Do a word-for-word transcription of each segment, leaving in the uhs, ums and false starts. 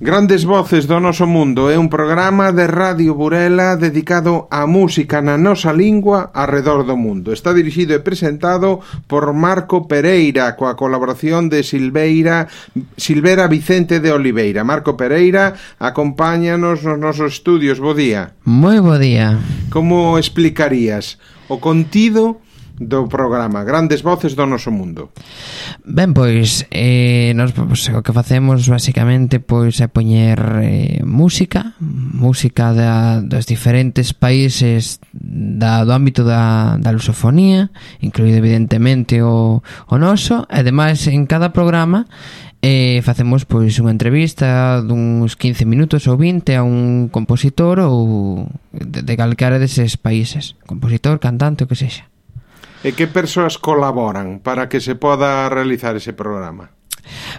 Grandes voces do noso mundo é un programa de Radio Burela dedicado á música na nosa lingua arredor do mundo. Está dirixido e presentado por Marco Pereira, coa colaboración de Silveira, Silvera Vicente de Oliveira. Marco Pereira, acompáñanos nos nosos estudios. Bo día. Moi bo día. Como explicarías o contido do programa Grandes voces do noso mundo? Ben, pois eh, nos, pois, o que facemos basicamente pois é poñer eh, música música da, dos diferentes países da, do ámbito da, da lusofonía, incluído evidentemente o, o noso, e ademais en cada programa eh, facemos pois unha entrevista duns quince minutos ou vinte a un compositor ou de, de calquera deses países, compositor, cantante, o que sexa. E que persoas colaboran para que se poda realizar ese programa?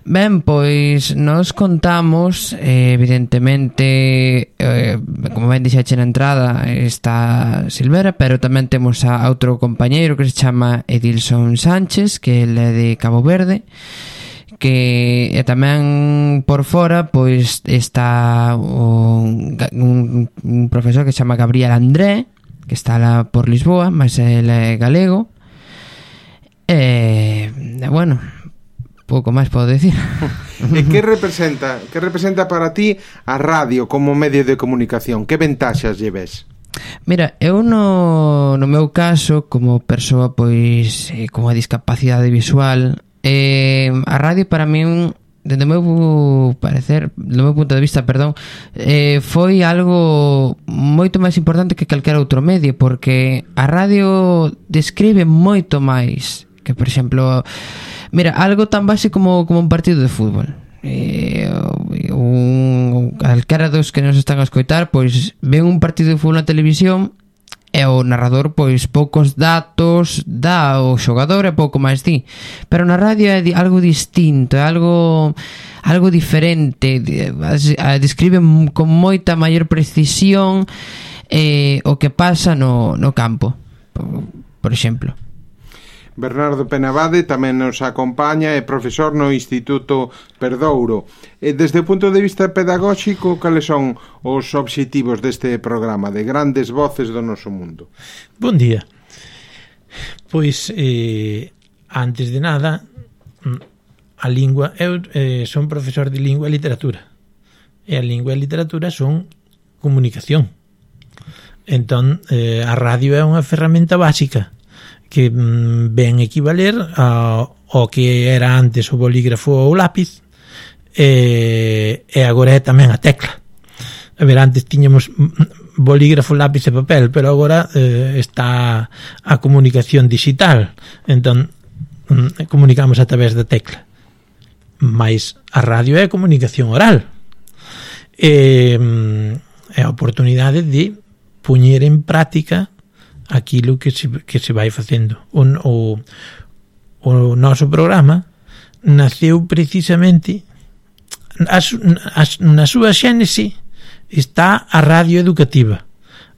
Ben, pois nos contamos eh, evidentemente eh, como ben dixaxe na entrada está Silvera, pero tamén temos a outro compañeiro que se chama Edilson Sánchez, que ele é de Cabo Verde, que e tamén por fora pois está un, un, un profesor que se chama Gabriel André, que está lá por Lisboa, mas ele é galego. E, bueno, pouco máis podo decir. E que representa, que representa para ti a radio como medio de comunicación? Que ventaxas lle ves? Mira, eu no, no meu caso, como persoa pois eh, con a discapacidade visual, eh, a radio para min, dende o meu parecer, do meu punto de vista, perdón, eh, foi algo moito máis importante que calquera outro medio, porque a radio describe moito máis que, por exemplo, mira, algo tan básico como, como un partido de fútbol. Eh, un, calquera dos que nos están a escoitar pois ven un partido de fútbol na televisión e o narrador pois poucos datos dá o xogador e pouco máis di, pero na radio é algo distinto, é algo algo diferente, describe con moita maior precisión eh, o que pasa no, no campo, por, por exemplo. Bernardo Penabade tamén nos acompaña, é profesor no Instituto Perdouro. E desde o punto de vista pedagóxico, cales son os obxectivos deste programa de Grandes voces do noso mundo? Bon día. Pois, eh, antes de nada, a lingua, eu eh, son profesor de lingua e literatura, e a lingua e a literatura son comunicación. Entón, eh, a radio é unha ferramenta básica que mm, ven equivaler ao, ao que era antes o bolígrafo ou o lápiz, e, e agora é tamén a tecla. A ver, antes tiñamos bolígrafo, lápiz e papel, pero agora eh, está a comunicación digital, entón mm, comunicamos a través da tecla. Mais a radio é a comunicación oral, e mm, é a oportunidade de poñer en práctica aquilo que se, que se vai facendo. O, o, o noso programa naceu precisamente as, as, na súa xénese está a radio educativa,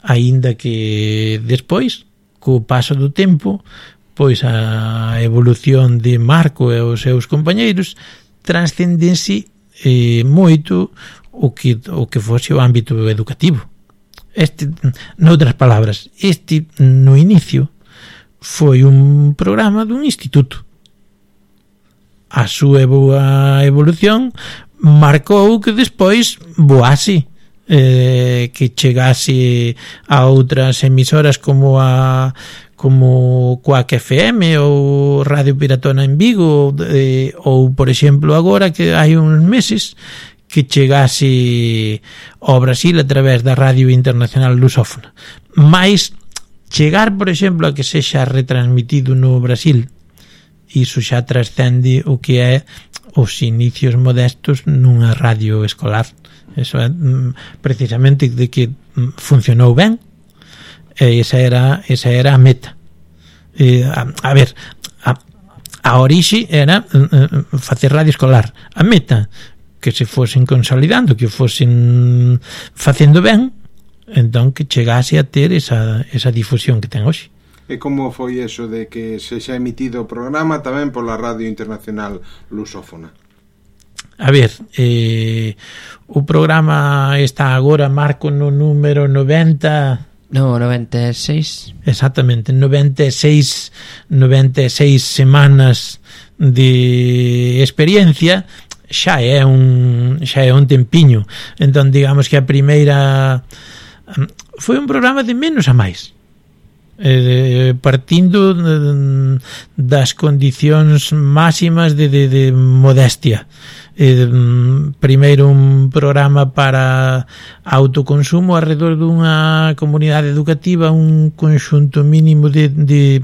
aínda que despois, co paso do tempo, pois a evolución de Marco e os seus compañeiros transcendense eh, moito o que, o que fose o ámbito educativo. Este, noutras palabras, este no inicio foi un programa dun instituto. A súa boa evolución marcou que despois voase, eh, que chegase a outras emisoras como a como Quack F M ou Radio Piratona en Vigo, eh, ou por exemplo agora que hai uns meses que chegase ao Brasil a través da Radio Internacional Lusófona. Mais chegar, por exemplo, a que sexa retransmitido no Brasil, iso xa trascende o que é os inicios modestos nunha radio escolar. Eso é precisamente de que funcionou ben, e esa era, esa era a meta. E, a, a ver, a, a orixe era facer radio escolar. A meta, que se fosen consolidando, que fosen facendo ben, entón que chegase a ter esa, esa difusión que ten hoxe. E como foi eso de que se xa emitido o programa tamén pola Radio Internacional Lusófona? a ver, eh, o programa está agora, Marco, no número noventa... No, noventa e seis. Exactamente, noventa e seis, noventa e seis semanas de experiencia, xa é un xa é un tempiño. Entón, digamos que a primeira foi un programa de menos a máis. Eh, partindo das condicións máximas de, de, de modestia. Eh, primeiro un programa para autoconsumo alrededor dunha comunidade educativa, un conxunto mínimo de, de,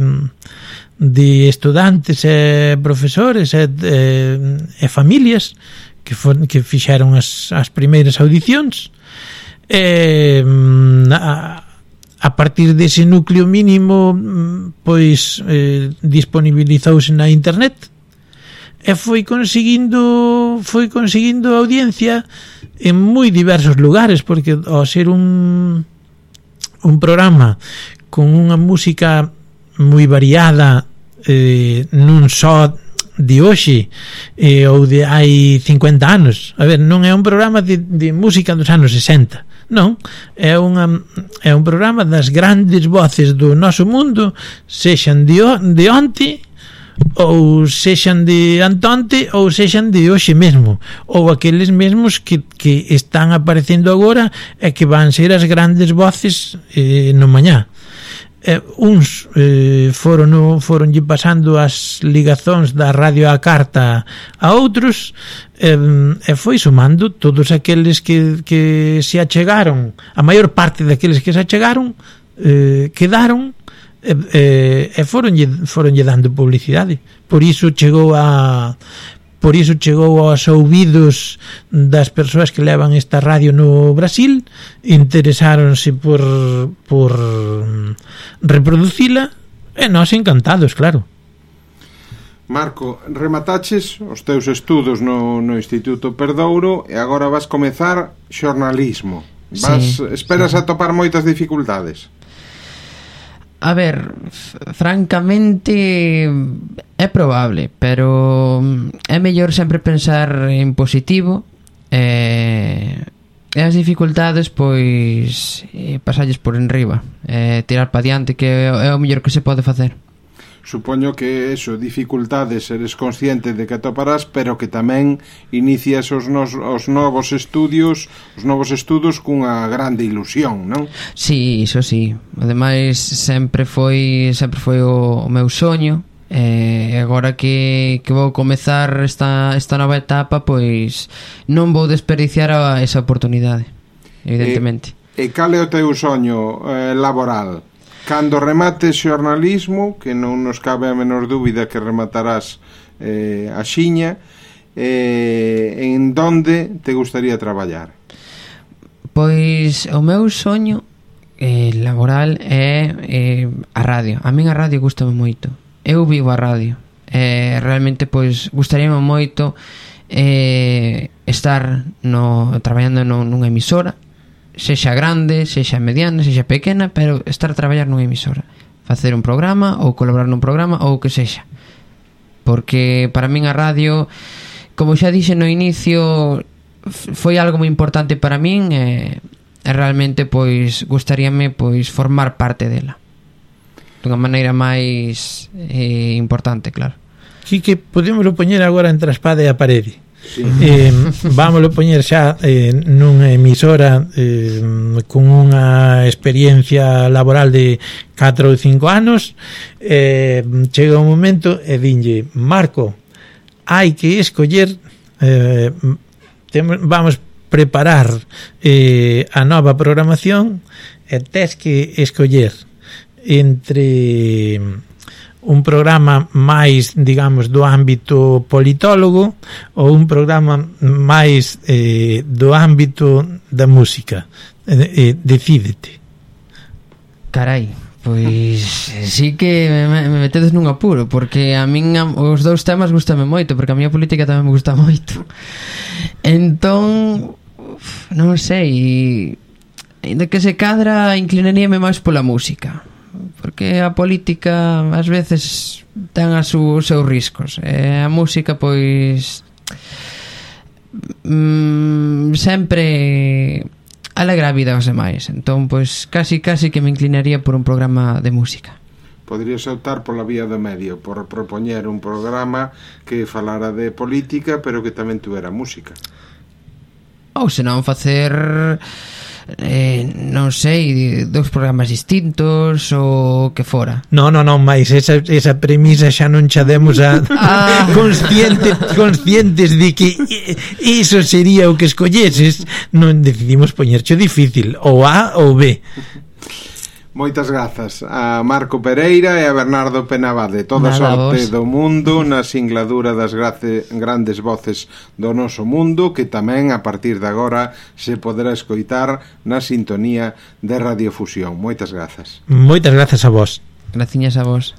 de estudantes e profesores e, e, e familias que, for, que fixeron as, as primeiras audicións. E a, a partir dese núcleo mínimo, pois eh, disponibilizouse na internet e foi conseguindo foi conseguindo audiencia en moi diversos lugares, porque ao ser un un programa con unha música moi variada, eh, non só de hoxe eh, ou de hai cincuenta anos. A ver, non é un programa de, de música dos anos sesenta, non, é unha é un programa das grandes voces do noso mundo, sexan de, de onte ou sexan de antonte ou sexan de hoxe mesmo, ou aqueles mesmos que, que están aparecendo agora e que van ser as grandes voces eh, no mañá. Eh, uns eh, foron foronlle pasando as ligazóns da radio á carta a outros, eh, e foi sumando todos aqueles que, que se achegaron, a maior parte daqueles que se achegaron eh, quedaron e, e, e foronlle, foronlle dando publicidade. Por iso chegou a por iso chegou aos ouvidos das persoas que levan esta radio no Brasil, interesáronse por por reproducila e nós encantados, claro. Marco, remataches os teus estudos no, no Instituto Perdouro e agora vas comezar xornalismo. Vas, sí, esperas sí. atopar moitas dificultades? A ver, francamente é probable, pero é mellor sempre pensar en positivo e, e as dificultades pois pasarlles por enriba e tirar pa diante, que é o mellor que se pode facer. Supoño que eso, dificultades, eres consciente de que atoparás, pero que tamén inicias os, nos, os novos estudios, os novos estudos cunha grande ilusión, non? Sí, iso sí. Ademais, sempre foi sempre foi o, o meu soño, e agora que, que vou comezar esta, esta nova etapa, pois non vou desperdiciar a, esa oportunidade, evidentemente. E, e cal é o teu soño eh, laboral? Cando remates xornalismo, que non nos cabe a menor dúbida que rematarás eh, a xiña, eh, en donde te gustaría traballar? Pois o meu soño eh, laboral é eh, a radio. A min a radio gustame moito. Eu vivo a radio. Eh, realmente, pois, gustaríame moito eh, estar no, traballando no, nunha emisora, sexa grande, sexa mediana, sexa pequena, pero estar a traballar nunha emisora, facer un programa ou colaborar nun programa ou o que sexa, porque para min a radio, como xa dixe no inicio, foi algo moi importante para min e, e realmente pois gustaríame pois formar parte dela dunha maneira máis eh, importante, claro. Sí, que podemos poñer agora entre a espada e a parede. Sí. Eh, vámoslo poñer xa eh, nunha emisora eh, con unha experiencia laboral de catro ou cinco anos, eh, chega un momento e dinlle: Marco, hai que escoller, eh, temos, vamos preparar eh, a nova programación e tes que escoller entre un programa máis, digamos, do ámbito politólogo ou un programa máis eh, do ámbito da música. Eh, eh, decídete. Carai, pois sí que me, me metedes nun apuro, porque a min os dous temas gustame moito, porque a miña política tamén me gusta moito. Entón, non sei, de que se cadra inclinaríame máis pola música, porque a política ás veces ten as os seus riscos, e a música pois mm, sempre alegra a vida aos demais. Entón, pois, casi, casi que me inclinaría por un programa de música. Poderías optar pola vía do medio, por propoñer un programa que falara de política, pero que tamén tuvera música. Ou senón facer eh, non sei, dous programas distintos ou que fora. No, no, non, máis esa, esa premisa xa non xa demos a Ah. consciente, conscientes de que iso sería o que escolleses. Non decidimos poñercho difícil, ou A ou B. Moitas grazas a Marco Pereira e a Bernardo Penabade. Toda Nada, sorte vos. do mundo na singladura das grace, grandes voces do noso mundo, que tamén a partir de agora se poderá escoitar na sintonía de Radiofusión. Moitas grazas. Moitas grazas a vos. Graciñas a vos.